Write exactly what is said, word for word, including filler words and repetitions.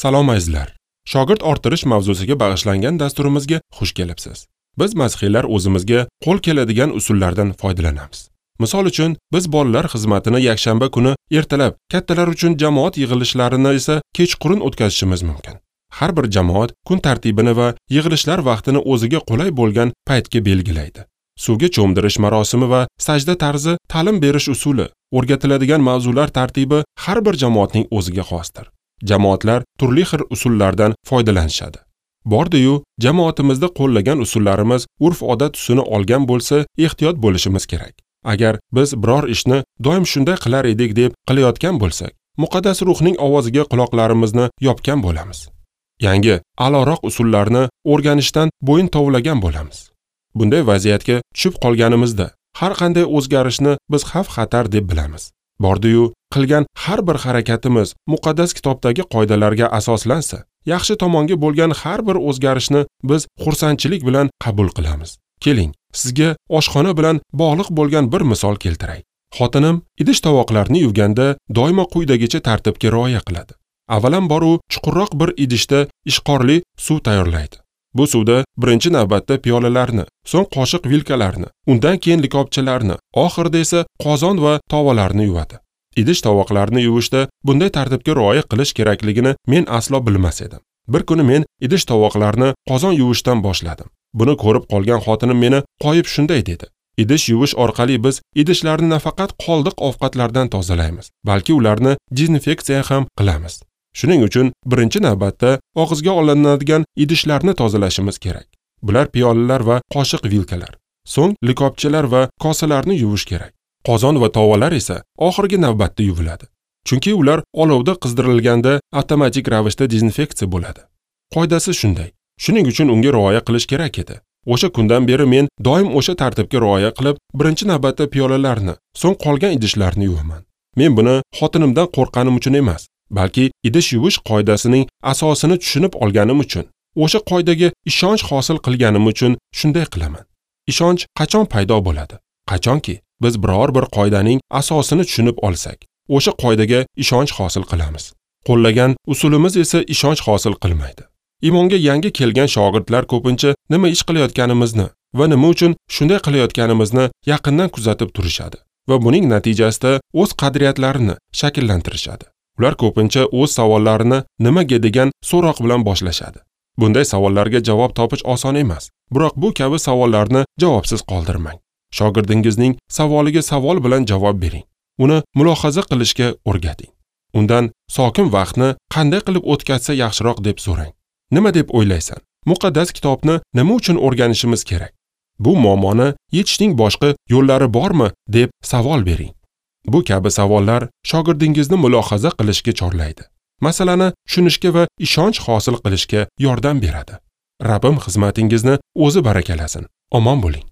Salom azizlar. Shogird orttirish mavzusiga bag'ishlangan dasturimizga xush kelibsiz. Biz masihiylar o'zimizga qo'l keladigan usullardan foydalanamiz. Misol uchun, biz bolalar xizmatini yakshanba kuni ertalab, kattalar uchun jamoat yig'ilishlarini esa kechqurun o'tkazishimiz mumkin. Har bir jamoat kun tartibini va yig'ilishlar vaqtini o'ziga qulay bo'lgan paytga belgilaydi. Suvga cho'mdirish marosimi va sajda tarzi, ta'lim berish usuli, o'rgatiladigan mavzular tartibi har bir jamoatning o'ziga xosdir. Jamoatlar turli xil usullardan foydalanishadi. Bordi-yu, jamoatimizda qo'llagan usullarimiz urf-odat tusini olgan bo'lsa, ehtiyot bo'lishimiz kerak. Agar biz biror ishni doim shunday qilar edik deb qilayotgan bo'lsak, muqaddas ruhning ovoziga quloqlarimizni yopgan bo'lamiz. Yangi, a'loroq usullarni o'rganishdan bo'yin tovlagan bo'lamiz. Bunday vaziyatga tushib qolganimizda har qanday o'zgarishni biz xavf-xatar deb bilamiz. Bordi-yu, qilgan har bir harakatimiz muqaddas kitobdagi qoidalarga asoslansa, yaxshi tomonga bo'lgan har bir o'zgarishni biz xursandchilik bilan qabul qilamiz. Keling, sizga oshxona bilan bog'liq bo'lgan bir misol keltiray. Xotinim idish tovoqlarni yuvganda doimo quyidagicha tartibga rioya qiladi. Avvalambor u chuqurroq bir idishda ishqorli suv tayyorlaydi. Bu suvda birinchi navbatda piyolalarni, so'ng qoshiq vilkalarni, undan keyin likopchalarni, oxirida esa qozon va tovalarni yuvadi. Idish tovoqlarni yuvishda bunday tartibga rioya qilish kerakligini men aslo bilmas edim. Bir kuni men idish tovoqlarni qozon yuvishdan boshladim. Buni ko'rib qolgan xotinim meni qoyib shunday dedi: Idish yuvish orqali biz idishlarni nafaqat qoldiq ovqatlardan tozalaymiz, balki ularni dezinfeksiya ham qilamiz. Shuning uchun birinchi navbatda og'izga olinadigan idishlarni tozalashimiz kerak. Bular piyolalar va qoshiq vilkalar. So'ng likopchalar va kosalarni yuvish kerak. Qozon va tovalar esa oxirgi navbatda yuviladi. Chunki ular olovda qizdirilganda avtomatik ravishda dezinfeksiya bo'ladi. Qoidasi shunday. Shuning uchun unga rioya qilish kerak edi. O'sha kundan beri men doim o'sha tartibga rioya qilib, birinchi navbatda piyolalarni, so'ng qolgan idishlarni yuvaman. Men buni xotinimdan qo'rqqanim uchun emas, balki idish yuvish qoidasining asosini tushunib olganim uchun, o'sha qoidaga ishonch hosil qilganim uchun shunday qilaman. Ishonch qachon paydo bo'ladi? Qachonki biz biror bir qoidaning asosini tushunib olsak, o'sha qoidaga ishonch hosil qilamiz. Qo'llagan usulimiz esa ishonch hosil qilmaydi. Iymonga yangi kelgan shogirdlar ko'pincha nima ish qilayotganimizni va nima uchun shunday qilayotganimizni yaqindan kuzatib turishadi va buning natijasida o'z qadriyatlarini shakllantirishadi. Ular ko'pincha o'z savollarini nimaga degan so'roq bilan boshlashadi. Bunday savollarga javob topish oson emas, biroq bu kabi savollarni javobsiz qoldirmang. Shogirdingizning savoliga savol bilan javob bering. Uni mulohaza qilishga o'rgating. Undan sokin vaqtni qanday qilib o'tkazsa yaxshiroq deb so'rang. Nima deb o'ylaysan? Muqaddas kitobni nima uchun o'rganishimiz kerak? Bu muammoni yechishning boshqa yo'llari bormi deb savol bering. Bu kabi savollar shogirdingizni mulohaza qilishga chorlaydi. Masalani tushunishga va ishonch hosil qilishga yordam beradi. Rabbim xizmatingizni o'zi barakalasin. Omon bo'ling.